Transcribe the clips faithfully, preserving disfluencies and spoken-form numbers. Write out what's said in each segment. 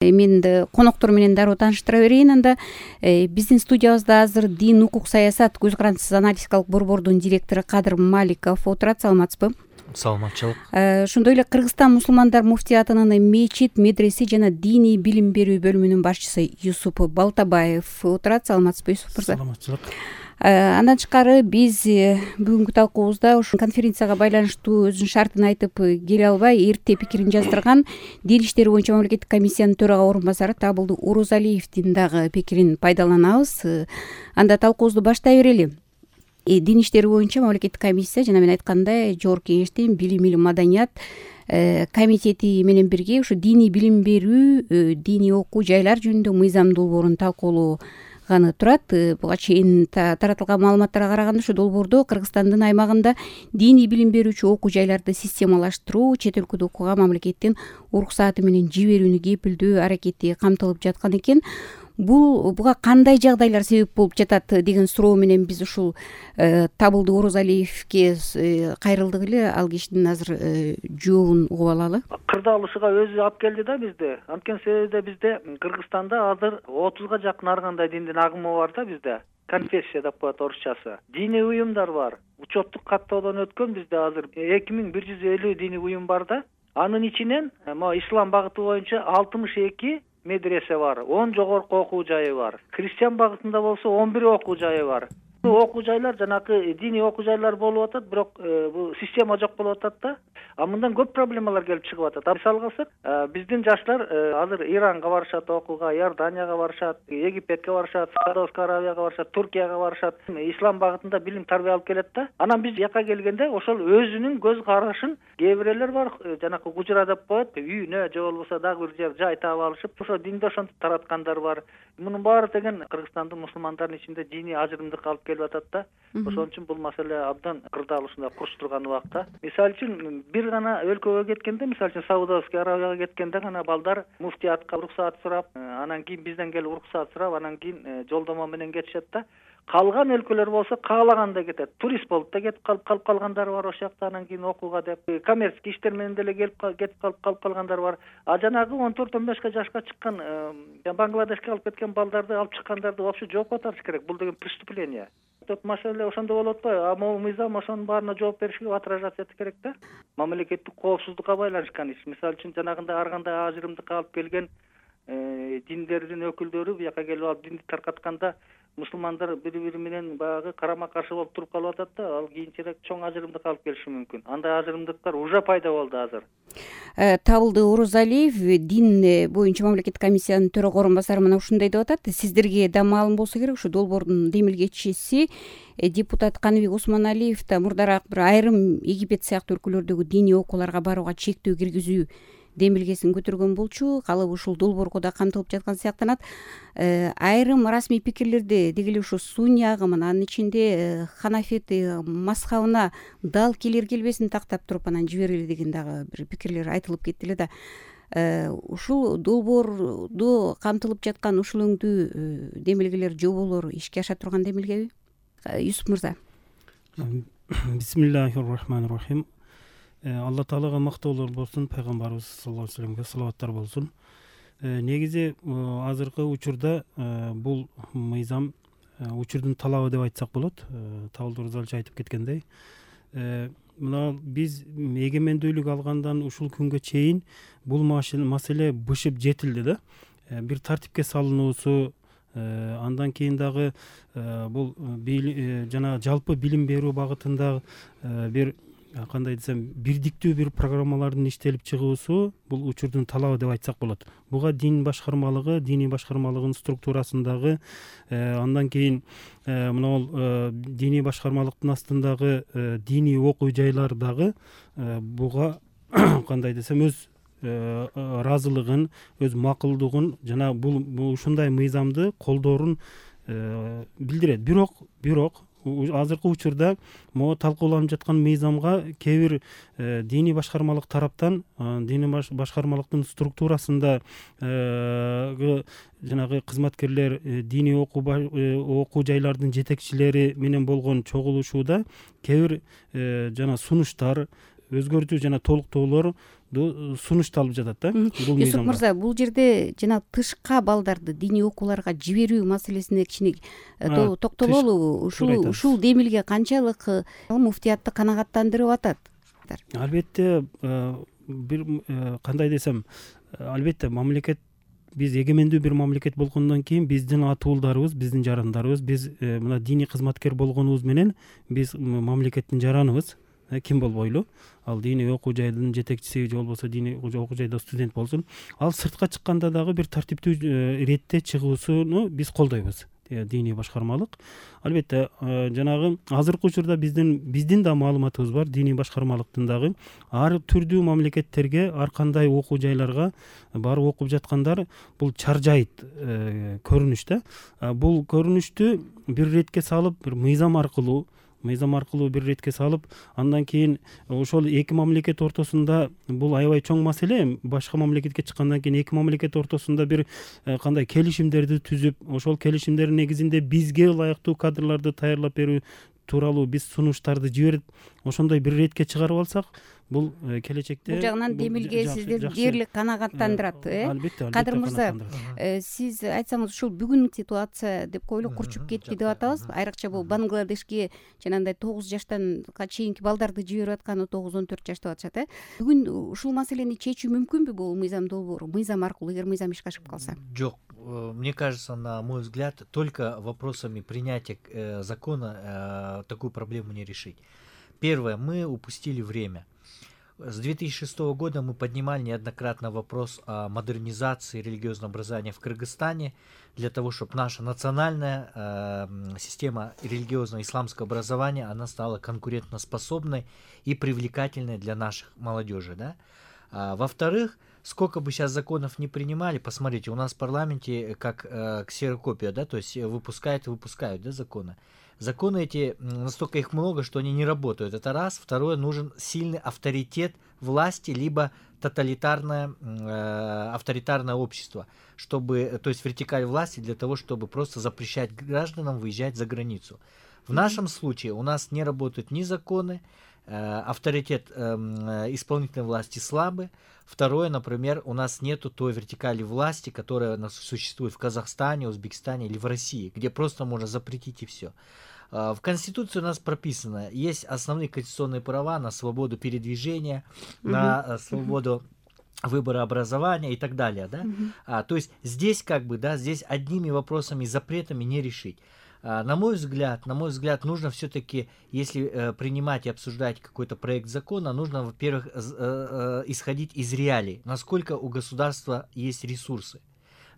Мен коноктор менен дароо тааныштыра берейин. Анда биздин студиябызда азыр дин, укук, саясат көз карандысыз аналитикалык борбордун директору Кадыр Маликов отурат. Саламатсызбы? Саламатчылык. Ошондой эле Кыргызстан мусулмандар муфтиятынын мечит, медресе жана диний билим берүү бөлүмүнүн башчысы Юсуп Балтабаев отурат. Саламатсызбы, Юсуп мырза? Саламатчылык. Андан тышкары биз бүгүнкү талкуубузда ушул конференцияга байланыштуу өзүнүн шартын айтып келе албай эрте пикирин жаздырган Дин иштери боюнча мамлекеттик комиссиянын төрага орун басары Табылды Орозалиевдин дагы пикирин пайдаланабыз. Анда талкуубузду баштай берели. Дин иштери боюнча мамлекеттик комиссия жана мен айткандай жогорку кеңештин билим, илим, маданият комитети менен бирге ушу диний билим берүү, диний окуу жайлар жөнүндө мыйзам долбоорун талкуулоо турат. Буга чейин таратылган маалыматтарга караганда ушу долбоордо Кыргызстандын аймагында диний билим берүүчү окуу жайларды системалаштыруу, чет өлкөдө окууга мамлекеттин уруксааты менен жиберүүнү кепилдөө аракети камтылып жаткан экен. Бул буга кандай жагдайлар себеп болуп жатат деген суроо менен биз ушул Табылды Орозалиевге кайрылдык эле. Ал кишинин азыр жообун угуп алалы. Кырдаалышыга өзү алып келди да бизди. Анткени себеби бизде Кыргызстанда азыр отузга жакын ар кандай диндин агымы бар да бизде. Конфессия деп коет орусчасы. Диний уюмдар бар. Учеттук каттоодон өткөн бизде азыр эки миң бир жүз элүү диний уюм бар да. Анын ичинен могу ислам багыты боюнча алтымыш эки медресе бар, он жогорку окуу жайы бар. Христиан багытында болсо он бир окуу жайы бар. Окуу жайлар жанакы диний окуу жайлар болуп атат, бирок бул система жок болуп атат да. А мындан көп проблемалар келип чыгып атат. Мисалга алсак, биздин жаштар азыр Иранга барышат окууга, Иорданияга барышат, Египетке барышат, Саудовская Аравияга барышат, Туркияга барышат. Ислам багытында билим тарбия алып келет да. Анан биз жака келгенде ошол өзүнүн көз карашын кээ бирлер бар, жанакы гужура деп коет, үйүнө же болбосо дагы бир жер жай таап алышып, ошо динди ошентип тараткандар бар. Мунун баары деген Кыргызстандын мусулмандардын ичинде диний ажырымдык алып келип атат да. Ошон үчүн бул маселе абдан кырдаалышында курч турган убакта. Мисалы үчүн бир гана өлкөгө кеткенде, мисалы үчүн Саудовская Аравияга кеткенде гана балдар муфтиятка уруксаат сурап, анан кийин бизден келип уруксаат сурап, анан кийин жолдомо менен кетишет да. Калган өлкөлөр болсо каалагандай кетет. Турист болуп да кетип калып калып калгандар бар ошол жакта, анан кийин окууга деп. Коммерческий иштер менен деле келип кетип калып калып калгандар бар. А жанагы он төрт он бешке жашка чыккан Бангладешке алып кеткен балдарды алып чыккандарды вообще жоопко тартыш керек. Бул деген преступление. Тут маселе ошондо болот атпайбы? А могу мыйзам ошонун баарына жооп беришке, отражаться этиш керек да. Мамлекеттик коопсуздукка байланышкан иш. Мисалы үчүн жанагындай ар кандай ажырымдыкка алып келген диндердин өкүлдөрү буяка келип алып динди таркатканда мусулмандар бири-бири менен баягы карама-каршы болуп туруп калып атат да. Ал кийинчерээк чоң ажырымдык алып келиши мүмкүн. Андай ажырымдыктар уже пайда болду азыр. Табылды Орозалиев дин боюнча мамлекеттик комиссиянын төрага орун басары мына ушундай деп атат. Сиздерге да маалым болсо керек, ушу долбоордун демилгечиси депутат Каныбек Осмоналиев да мурдараак бир айрым Египет сыяктуу өлкөлөрдөгү диний окууларга барууга чектөө киргизүү демилгесин көтөргөн болчу. Калыбы ушул долбоорго да камтылып жаткан сыяктанат. Айрым расмий пикирлерде деги эле ушу сунни агымын, анын ичинде ханафит мазхабына дал келер келбесин тактап туруп анан жибергиле деген дагы бир пикирлер айтылып кетти эле да. Ушул долбоордо камтылып жаткан ушул өңдүү демилгелер, жоболор ишке аша турган демилгеби? Юсуп мырза. Бисмиллахир-рахманир-рахим. Алла Таалага мактоолор болсун, пайгамбарыбыз саллаллаху алейхи вассаламга салаваттар болсун. Негизи азыркы учурда бул мыйзам учурдун талабы деп айтсак болот. Табылды Орозалиевич айтып кеткендей, мына биз эгемендүүлүк алгандан ушул күнгө чейин бул маселе бышып жетилди да. Бир тартипке салынуусу, андан кийин дагы бул жана жалпы билим берүү багытында бир кандай десем бирдиктүү бир программалардын иштелип чыгуусу бул учурдун талабы деп айтсак болот. Буга дин башкармалыгы, диний башкармалыгынын структурасындагы, андан кийин мына диний башкармалыктын астындагы диний окуу жайлар дагы буга кандай десем өз ыраазылыгын, өз макулдугун жана бул ушундай мыйзамды колдоорун билдирет. Бирок, бирок азыркы учурда могу талкууланып жаткан мыйзамга кээ бир диний башкармалык тараптан, диний башкармалыктын структурасында жанагы кызматкерлер, диний окуу жайлардын жетекчилери менен болгон чогулушууда кээ бир жана сунуштар, өзгөртүү жана толуктоолор сунушталып жатат да бул мыйзамда. Юсуп мырза, бул жерде жана тышка балдарды диний окууларга жиберүү маселесине кичине токтололу. Ушул ушул демилге канчалык муфтиятты канагаттандырып атат? Албетте, бир кандай десем, албетте мамлекет, биз эгемендүү бир мамлекет болгондон кийин биздин атуулдарыбыз, биздин жарандарыбыз, биз мына диний кызматкер болгонубуз менен биз мамлекеттин жараныбыз. Ким болбойлу, ал диний окуу жайдын жетекчиси же болбосо диний окуу жайда студент болсун, ал сыртка чыкканда дагы бир тартиптүү иретте чыгуусуну биз колдойбуз, диний башкармалык. Албетте, жанагы азыркы учурда биздин биздин да маалыматыбыз бар, диний башкармалыктын дагы ар түрдүү мамлекеттерге, ар кандай окуу жайларга барып окуп жаткандар бул чаржайт көрүнүш да. Бул көрүнүштү бир иретке салып, бир мыйзам аркылуу мыйзам аркылуу бир иретке салып, андан кийин ошол эки мамлекет ортосунда бул аябай чоң маселе. Башка мамлекетке чыккандан кийин эки мамлекет ортосунда бир кандай келишимдерди түзүп, ошол келишимдердин негизинде бизге ылайыктуу кадрларды даярдап берүү тууралуу биз сунуштарды жиберип, ошондой бир иретке чыгарып алсак, бул келечекте бул жагынан демилге сиздерди дээрлик канагаттандырат. Албетте. Кадыр мырза, сиз айтсаңыз, ушул бүгүнкү ситуация деп коелу курчуп кетти деп атабыз. Айрыкча бул Бангладешке жанагындай тогуз жаштанга чейинки балдарды жиберип атканы тогуз он төрт жаш деп атышат. Бүгүн ушул маселени чечүү мүмкүнбү бул мыйзам долбоору, мыйзам аркылуу, эгер мыйзам ишке ашып калса? Жок, мне кажется, на мой взгляд, только вопросами принятия э, закона э, такую проблему не решить. Первое, мы упустили время. С две тысячи шестого года мы поднимали неоднократно вопрос о модернизации религиозного образования в Кыргызстане для того, чтобы наша национальная э, система религиозного исламского образования она стала конкурентоспособной и привлекательной для наших молодежи. Да? А, во-вторых, сколько бы сейчас законов не принимали, посмотрите, у нас в парламенте как э, ксерокопия, да, то есть выпускают и выпускают, да, законы. Законы эти, настолько их много, что они не работают. Это раз. Второе, нужен сильный авторитет власти, либо тоталитарное, э, авторитарное общество, чтобы, то есть вертикаль власти для того, чтобы просто запрещать гражданам выезжать за границу. В нашем случае у нас не работают ни законы, э, авторитет э, исполнительной власти слабый. Второе, например, у нас нету той вертикали власти, которая у нас существует в Казахстане, Узбекистане или в России, где просто можно запретить и все. В Конституции у нас прописано, есть основные конституционные права на свободу передвижения, uh-huh. на свободу выбора образования и так далее, да. Uh-huh. А, то есть здесь как бы, да, здесь одними вопросами, запретами не решить. А, на мой взгляд, на мой взгляд, нужно все-таки, если э, принимать и обсуждать какой-то проект закона, нужно, во-первых, э, э, исходить из реалий, насколько у государства есть ресурсы,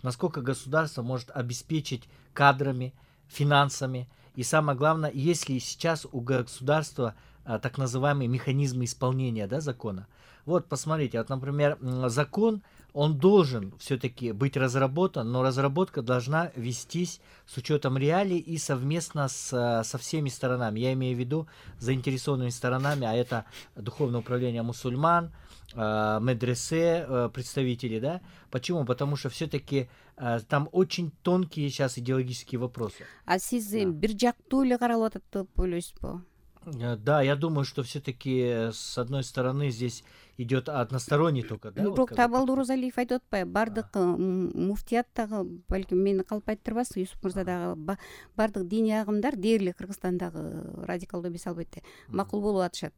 насколько государство может обеспечить кадрами, финансами. И самое главное, если сейчас у государства а, так называемые механизмы исполнения, да, закона. Вот, посмотрите, вот, например, закон, он должен все-таки быть разработан, но разработка должна вестись с учетом реалий и совместно с, со всеми сторонами. Я имею в виду заинтересованными сторонами, а это Духовное управление мусульман, э, медресе, э, представители, да. Почему? Потому что все-таки э, там очень тонкие сейчас идеологические вопросы. А сиз бир жактуу эле каралып атат деп ойлойсузбу? Да, я думаю, что все-таки с одной стороны здесь идет односторонний только, да? Бирок вот, Табалды Оразалиев айтып атпайбы, бардык муфтият дагы, балким мени калп айттырбасыз, Юсуп мырза дагы, бардык диний агымдар дээрлик Кыргызстандагы радикалдуу эмес албетте макул болуп атышат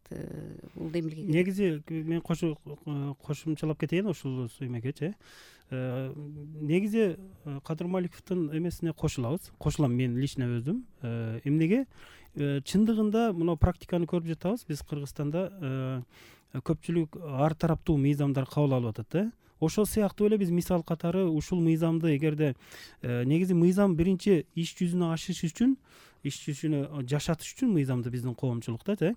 бул демилге. Негизи мен кошумчалап кетейин ушул сүймекечи. Негизи Кадыр Маликовдун эмесине кошулабыз, кошулам мен лично өзүм. Эмнеге? Чындыгында мына практиканы көрүп жатабыз, биз Кыргызстанда көпчүлүк ар тараптуу мыйзамдар кабыл алып атат да. Ошол сыяктуу эле биз мисал катары ушул мыйзамды эгерде негизи мыйзам биринчи иш жүзүнө ашыш үчүн, иш жүзүнө жашатыш үчүн мыйзамды биздин коомчулукта да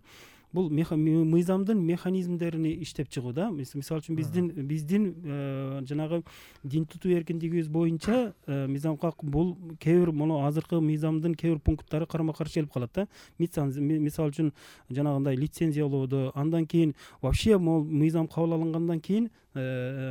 бул мыйзамдын механизмдерин иштеп чыгууда. Мисалы үчүн биздин биздин жанагы дин тутуу эркиндигибиз боюнча мыйзамга бул кээ бир мону азыркы мыйзамдын кээ бир пункттары карама каршы келип калат да. Мисалы үчүн жанагындай лицензиялоодо, андан кийин вообще могул мыйзам кабыл алынгандан кийин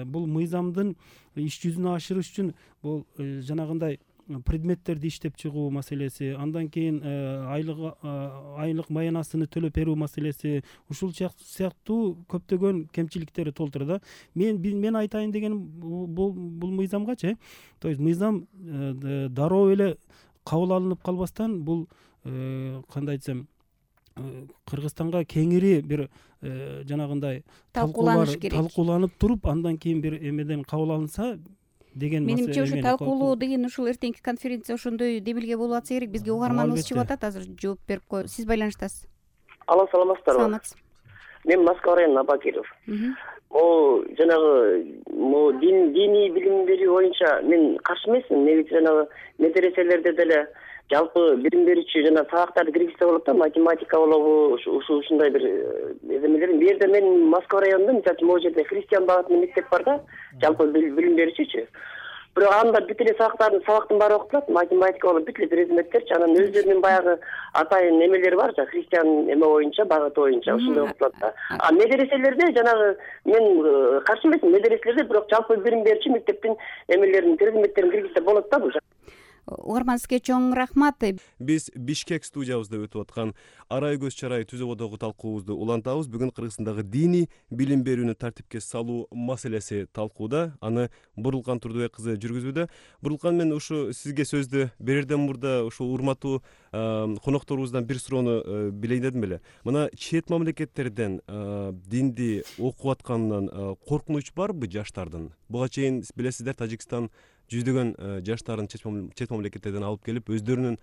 бул мыйзамдын иш жүзүнө ашырыш үчүн бул жанагындай предметтерди иштеп чыгуу маселеси, андан кийин айлык айлык маянасыны төлөп берүү маселеси, ушул сыяктуу көптөгөн кемчиликтери толтура да. Мен мен айтайын дегеним бул бул мыйзамгачы, то есть мыйзам дароо эле кабыл алынып калбастан, бул кандай айтсам, Кыргызстанга кеңири бир жанагындай талкууланыш керек, талкууланып туруп, андан кийин бир эмеден кабыл алынса деген маселе. Менимче ушу талкуулоо деген ушул эртеңки конференция ошондой дебилге болуп атса керек. Бизге угарманыбыз чыгып атат, азыр жооп берип кой. Сиз байланыштасыз. Алло, саламатсыздарбы? Саламатсыз. Мен Москва районунан Абакиров. Могу жанагы могу дин диний билим берүү боюнча мен каршы эмесмин. Негизи жанагы медреселерде деле жалпы билим берүүчү жана сабактарды киргизсе болот да, математика болобу, ушу ушундай бир эмелер. Бу жерде мен Москва районунда, мисалы үчүн, могу жерде христиан багытында мектеп бар да, жалпы билим берүүчүчү. Бирок анда бүт эле сабактардын сабактын баары окутулат, математика болуп бүт эле предметтерчи, анан өздөрүнүн баягы атайын эмелери бар, жана христиан эме боюнча, багыты боюнча ушундай окутулат да. А медреселерде жанагы мен каршы эмесмин, медреселерде бирок жалпы билим берүүчү мектептин эмелерин, предметтерин киргизсе болот да. Бул Угарман, сизге чоң рахмат. Биз Бишкек студиябызда өтүп аткан арай көз чарай түзөбодогу талкуубузду улантабыз. Бүгүн Кыргызстандагы диний билим берүүнү тартипке салуу маселеси талкууда. Аны Бурулкан Турдубек кызы жүргүзүүдө. Бурулкан, мен ушу сизге сөздү берерден мурда ушу урматтуу конокторубуздан бир суроону билейин дедим эле. Мына чет мамлекеттерден динди окуп атканынан коркунуч барбы жаштардын? Буга чейин билесиздер, Тажикстан жүздөгөн жаштарын чет мамлекеттерден алып келип, өздөрүнүн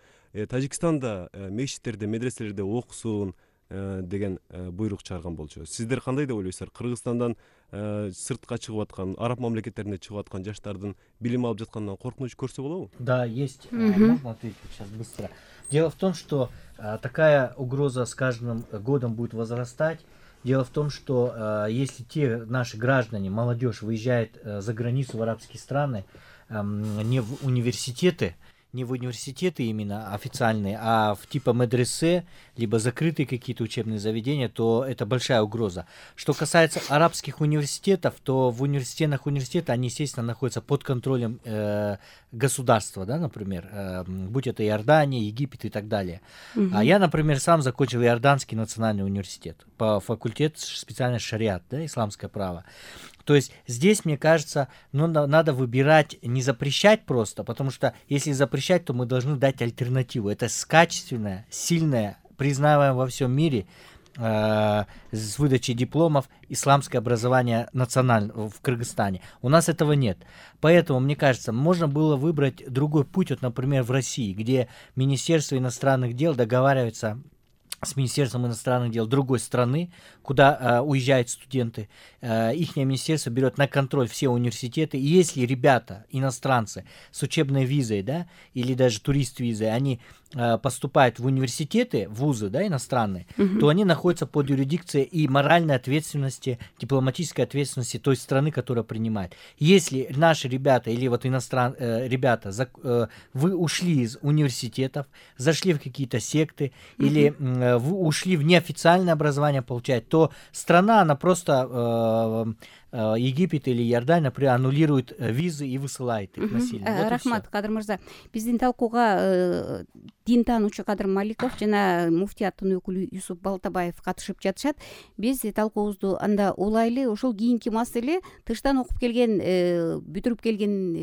Тажикстанда мешиттерде, медреселерде окусун деген буйрук чыгарган болчу. Сиздер кандай деп ойлойсуздар? Кыргызстандан сыртка чыгып аткан, араб мамлекеттерине чыгып аткан жаштардын билим алып жатканынан коркунуч көрсө болобу? Да, есть. Можно ответить сейчас быстро. Дело в том, что такая угроза с каждым годом будет возрастать. Дело в том, что если те наши граждане, молодежь выезжает за границу в арабские страны, не в университеты, не в университеты именно официальные, а в типа медресе, либо закрытые какие-то учебные заведения, то это большая угроза. Что касается арабских университетов, то в университетах университеты, они, естественно, находятся под контролем э, государства, да, например, э, будь это Иордания, Египет и так далее. Mm-hmm. А я, например, сам закончил Иорданский национальный университет по факультету специальность шариат, да, исламское право. То есть здесь, мне кажется, ну, надо выбирать, не запрещать просто, потому что если запрещать, то мы должны дать альтернативу. Это качественное, сильное, признаваемое во всем мире э, с выдачей дипломов исламское образование национальное в Кыргызстане. У нас этого нет. Поэтому, мне кажется, можно было выбрать другой путь, вот, например, в России, где Министерство иностранных дел договаривается с Министерством иностранных дел другой страны, куда э, уезжают студенты. Э, их министерство берет на контроль все университеты. И если ребята, иностранцы, с учебной визой, да, или даже турист-визой, они э, поступают в университеты, вузы, да, иностранные, mm-hmm. то они находятся под юрисдикцией и моральной ответственности, дипломатической ответственности той страны, которая принимает. Если наши ребята или вот иностран, э, ребята, за, э, вы ушли из университетов, зашли в какие-то секты, mm-hmm. или э, вы ушли в неофициальное образование получать, то страна, она просто э, Египет или Иордания, например, аннулирует визы и высылает их насильно. Вот Рахмат, Кадыр мырза. Биздин талкууга дин таануучу Кадыр Маликов жана муфтияттын өкүлү Юсуп Балтабаев катышып жатышат. Биз талкуубузду анда улайлы. Ошол кийинки маселе тыштан окуп келген, бүтүрүп келген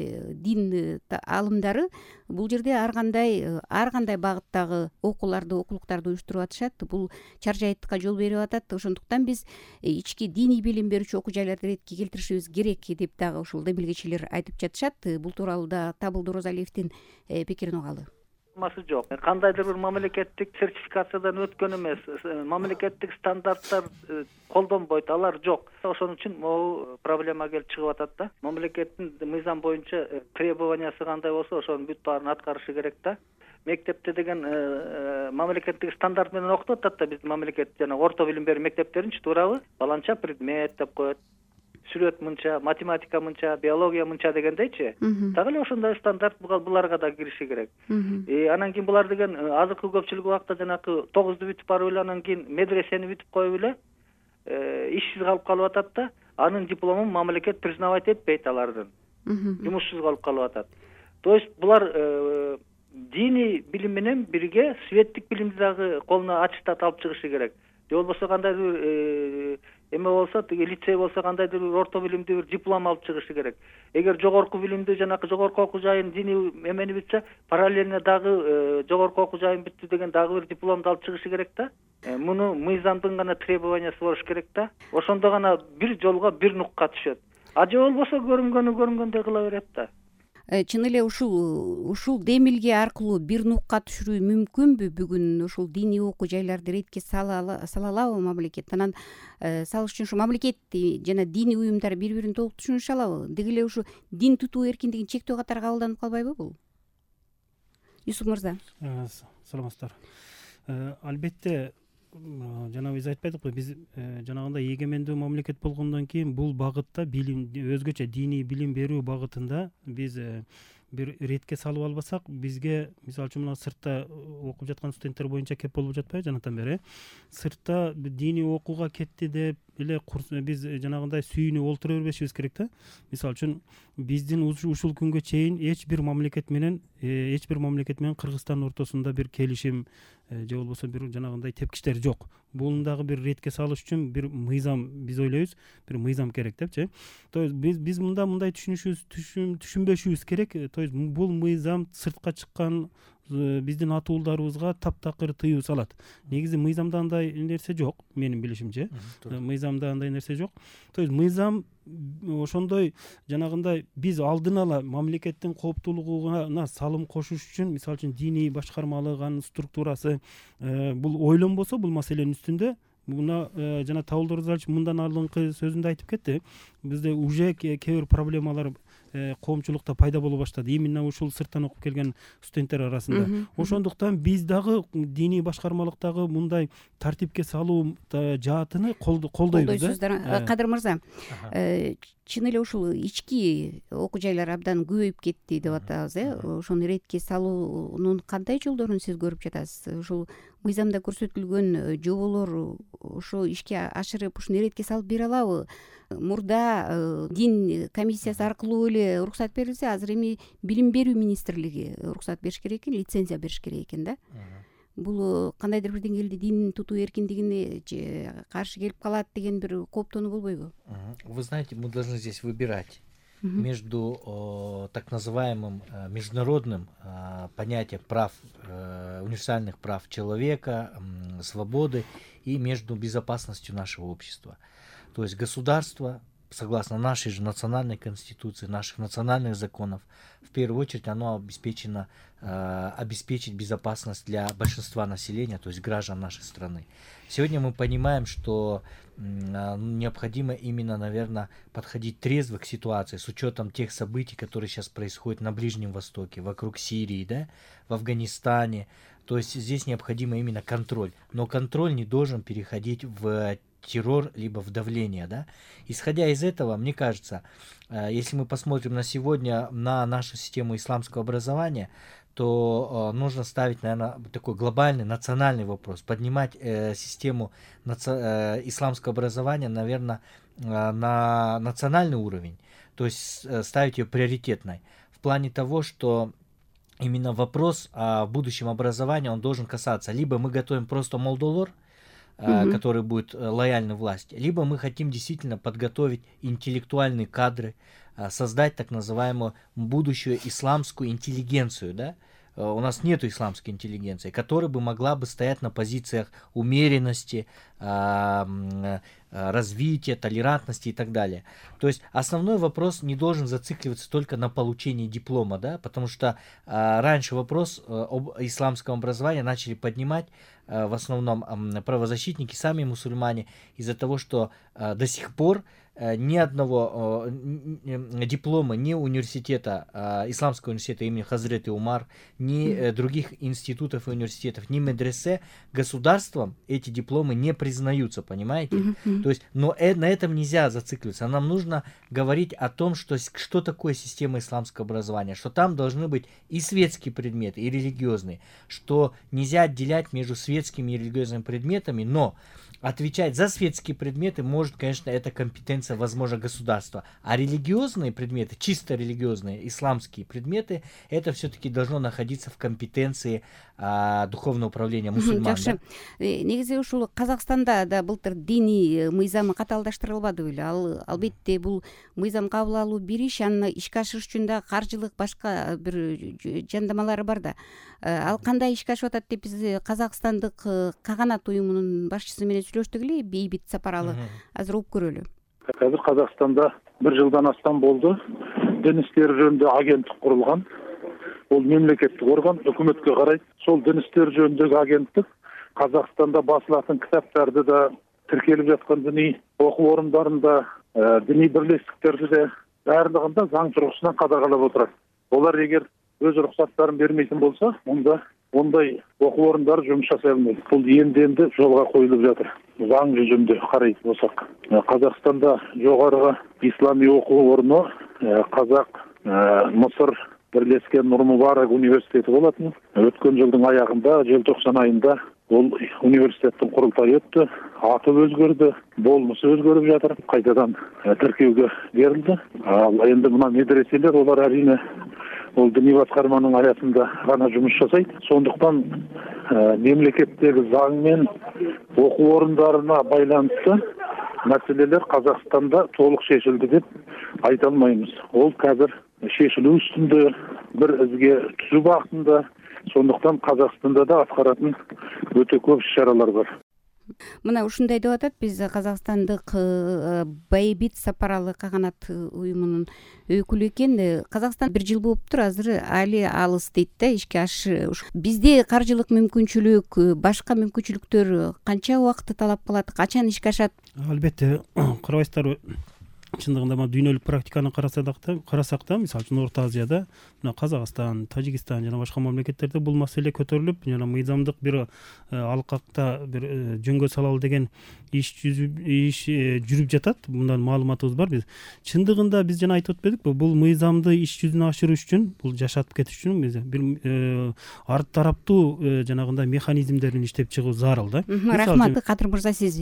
дин алымдары бул жерде ар кандай ар кандай багыттагы окууларды, окулуктарды уюштуруп атышат. Бул чаржайыттыкка жол берип атат. Ошондуктан биз ички диний билим берүүчү окуу жайларды ретке келтиришибиз керек деп дагы ушул демилгечилер айтып жатышат. Бул тууралуу да Табылды Розалиевдин пикирин угалы. Масы жок. Кандайдыр бир мамлекеттик сертификациядан өткөн эмес, мамлекеттик стандарттар колдонбойт, алар жок. Ошон үчүн могу проблема келип чыгып атат да. Мамлекеттин мыйзам боюнча требованиясы кандай болсо, ошонун бүт баарын аткарышы керек да. Мектепте деген мамлекеттик стандарт менен окутуп атат да, биздин мамлекет жана орто билим берүү мектептеринчи, туурабы? Баланча предмет деп коет. Сүрөт мынча, математика мынча, биология мынча дегендейчи. Так эле ошондой стандарт буларга да кириши керек. И анан кийин булар деген азыркы көпчүлүк убакта жанакы тогузду бүтүп барып эле, анан кийин медресени бүтүп коюп эле ишсиз калып калып атат да, анын дипломун мамлекет признавать этпейт алардын. Жумушсуз калып калып атат. То есть булар диний билим менен бирге светтик билимди дагы колуна аттестат алып чыгышы керек. Же болбосо кандайдыр бир эме болсо, тиги лицей болсо кандайдыр бир орто билимди бир диплом алып чыгышы керек. Эгер жогорку билимди жанакы жогорку окуу жайын диний эмени бүтсө, параллельно дагы жогорку окуу жайын бүттү деген дагы бир дипломду алып чыгышы керек да. Муну мыйзамдын гана требованиясы болуш керек да. Ошондо гана бир жолго бир нукка түшөт. А же болбосо көрүнгөнү көрүнгөндөй кыла берет да. Чын эле ушул ушул демилге аркылуу бир нукка түшүрүү мүмкүнбү? Бүгүн ушул диний окуу жайларды ретке сала алабы мамлекет? Анан салыш үчүн ушу мамлекет жана диний уюмдар бири бирин толук түшүнүшө алабы? Деги эле ушу дин тутуу эркиндигин чектөө катары кабылданып калбайбы бул? Юсуп мырза. Саламатсыздар. Албетте жана биз айтпайдыкпы, биз жанагындай эгемендүү мамлекет болгондон кийин бул багытта билим, өзгөчө диний билим берүү багытында биз бир ретке салып албасак, бизге мисалы үчүн мына сыртта окуп жаткан студенттер боюнча кеп болуп жатпайбы жанатан бери? Сыртта диний окууга кетти деп эле биз жанагындай сүйүнүп олтура бербешибиз керек да. Мисалы үчүн биздин ушул күнгө чейин эч бир мамлекет менен эч бир мамлекет менен Кыргызстан ортосунда бир келишим же болбосо бир жанагындай тепкичтер жок. Буну дагы бир ретке салыш үчүн бир мыйзам, биз ойлойбуз, бир мыйзам керек депчи. То есть биз биз мында мындай түшүнүшүбүз, түшүнбөшүбүз керек. То есть бул мыйзам сыртка чыккан биздин ата уулдарыбызга таптакыр тыюу салат. Негизи мыйзамда андай нерсе жок, менин билишимче. Мыйзамда андай нерсе жок. То есть мыйзам ошондой жанагындай биз алдын ала мамлекеттин кооптуулугуна салым кошуш үчүн, мисалы үчүн диний башкармалык, анын структурасы бул ойлонбосо бул маселенин үстүндө, мына жана Табылдыр Рзалович мындан алдыңкы сөзүндө айтып кетти. Бизде уже кээ бир проблемалар коомчулукта пайда боло баштады, именно ушул сырттан окуп келген студенттер арасында. Ошондуктан биз дагы диний башкармалыктагы мындай тартипке салуу жаатыны колдойбуз да. Кадыр мырза, чын эле ушул ички окуу жайлар абдан көбөйүп кетти деп атабыз, э? Ошону ретке салуунун кандай жолдорун сиз көрүп жатасыз? Ушул мыйзамда көрсөтүлгөн жоболор ошо ишке ашырып, ушуну ретке салып бере алабы? Мурда дин комиссиясы аркылуу эле уруксат берилсе, азыр эми билим берүү министрлиги уруксат бериш керек экен, лицензия бериш керек экен да. Бул кандайдыр бир деңгээлде дин тутуу эркиндигине каршы келип калат деген бир кооптонуу болбойбу? Вы знаете, мы должны здесь выбирать между о, так называемым э, международным э, понятием прав, э, универсальных прав человека, э, свободы и между безопасностью нашего общества. То есть государство, согласно нашей же национальной конституции, наших национальных законов, в первую очередь оно обеспечено э, обеспечить безопасность для большинства населения, то есть граждан нашей страны. Сегодня мы понимаем, что э, необходимо именно, наверное, подходить трезво к ситуации с учетом тех событий, которые сейчас происходят на Ближнем Востоке, вокруг Сирии, да, в Афганистане. То есть здесь необходимо именно контроль. Но контроль не должен переходить в террор, либо в давление, да. Исходя из этого, мне кажется, если мы посмотрим на сегодня на нашу систему исламского образования, то нужно ставить, наверное, такой глобальный национальный вопрос, поднимать э, систему наци... э, исламского образования, наверное, э, на национальный уровень, то есть э, ставить ее приоритетной, в плане того, что именно вопрос о будущем образовании, он должен касаться, либо мы готовим просто молдолор, Uh-huh. который будет лояльны власти, либо мы хотим действительно подготовить интеллектуальные кадры, создать так называемую будущую исламскую интеллигенцию, да? У нас нет исламской интеллигенции, которая бы могла бы стоять на позициях умеренности, развития, толерантности и так далее. То есть основной вопрос не должен зацикливаться только на получении диплома, да, потому что а, раньше вопрос а, об исламском образовании начали поднимать а, в основном а, правозащитники, сами мусульмане, из-за того, что а, до сих пор а, ни одного а, диплома ни университета, а, исламского университета имени Хазреты Умар, ни а, других институтов и университетов, ни медресе государством эти дипломы не признаются, понимаете? Mm-hmm. То есть, но э, на этом нельзя зацикливаться. Нам нужно говорить о том, что, что такое система исламского образования, что там должны быть и светские предметы, и религиозные, что нельзя отделять между светскими и религиозными предметами, но отвечать за светские предметы может, конечно, это компетенция, возможно, государства. А религиозные предметы, чисто религиозные, исламские предметы, это все-таки должно находиться в компетенции а, духовного управления мусульман. Жакшы. Негизи ушул Казакстанда да былтыр диний мыйзам катаалдаштырылбады беле. Ал албетте бул мыйзам кабыл алуу бир иш, аны ишке ашырыш үчүн да каржылык башка бир жандамалары бар да. Ал кандай ишке ашып атат деп биз Казакстандык каганат уюмунун башчысы менен сүйлөштүк эле, Бейбит Сапаралы. Азыр угуп көрөлү. Азыр Казакстанда бир жылдан астам болду. Дин иштери жөнүндө агенттик курулган. Бул мемлекеттик орган, өкмөткө карайт. Сол дин иштери жөнүндөгү агенттик Казакстанда басылатын китаптарды да, тиркелип жаткан диний окуу орундарында, диний бирлестиктерди де баардыгында заң тургусунан кадағалап отурат. Олар эгер өз уруксаттарын бермейтин болсо, мында ондай окуу орундары жумуш жасай албайт. Бул энди-энди жолго коюлуп жатыр. Заң жүзүндө карайт болсок, Казакстанда жогору исламий окуу орну Казак Мысыр Бирлешкен Нур Мубарак университети болотун. Өткөн жылдын аягында, желтоқсан айында бул университеттин курултайы өттү. Аты өзгөрдү, болмусу өзгөрүп жатыр. Кайтадан тиркеүүгө берилди. Ал энди мына медреселер, олар арине ол диний баскарманын аясында гана жумуш жасайт. Сондуктан мемлекеттеги заң менен окуу орундарына байланыштуу маселелер Казакстанда толук шешилди деп айта алмайбыз. Ол казыр шешилүү үстүндө, бир изге түзүү бактында. Сондуктан Казакстанда да аткаратын өтө көп иш-чаралар бар. Мына ушундай деп атат, биз Казакстандык Бейбит Сапаралы каганат уюмунун өкүлү экен. Казакстан бир жыл болуптур, азыр али алыс дейт да ишке ашыш. Бизде каржылык мүмкүнчүлүк, башка мүмкүнчүлүктөр канча убакытты талап кылат, качан ишке ашат? Албетте, карабайсыздарбы, чындыгында мына дүйнөлүк практиканы карасак да, карасак да, мисалы үчүн Орто Азияда, мына Казакстан, Тажикстан жана башка мамлекеттерде бул маселе көтөрүлүп, жана мыйзамдык бир алкакта бир жөнгө салалы деген иш иш жүрүп жатат. Мындан маалыматыбыз бар. Биз чындыгында биз жана айтып өтпөдүкпү, бул мыйзамды иш жүзүнө ашырыш үчүн, бул жашатып кетиш үчүн биз бир арт тараптуу жанагындай механизмдерин иштеп чыгуу зарыл да. Рахмат, Кадыр мырза, сиз?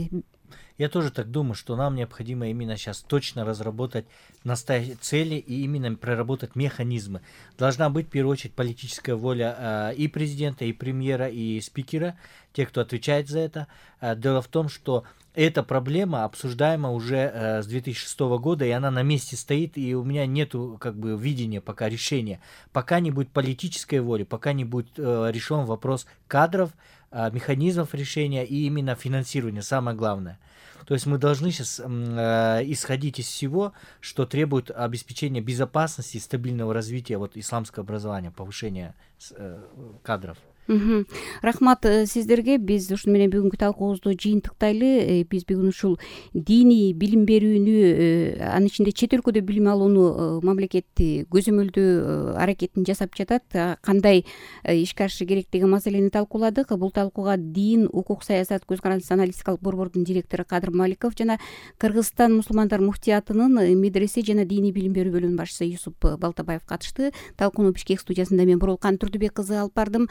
Я тоже так думаю, что нам необходимо именно сейчас точно разработать настоящие цели и именно проработать механизмы. Должна быть в первую очередь политическая воля э, и президента, и премьера, и спикера, те, кто отвечает за это. Э, дело в том, что эта проблема обсуждаема уже э, с две тысячи шестого года, и она на месте стоит, и у меня нету как бы видения пока решения. Пока не будет политической воли, пока не будет э, решен вопрос кадров, э, механизмов решения и именно финансирования, самое главное. То есть мы должны сейчас э, исходить из всего, что требует обеспечения безопасности и стабильного развития вот исламского образования, повышения э, кадров. Рахмат сиздерге. Биз ушуну менен бүгүнкү талкуубузду жыйынтыктайлы. Биз бүгүн ушул диний билим берүүнү, анын ичинде чет өлкөдө билим алууну мамлекетти көзөмөлдөө аракетин жасап жатат. Кандай ишке ашышы керек деген маселени талкууладык. Бул талкууга дин, укук, саясат көз карандысы аналитикалык борбордун директору Кадыр Маликов жана Кыргызстан мусулмандар муфтиятынын медресе жана диний билим берүү бөлүмүнүн башчысы Юсуп Балтабаев катышты. Талкууну Бишкек студиясында мен Бурулкан Турдубек кызы алып бардым.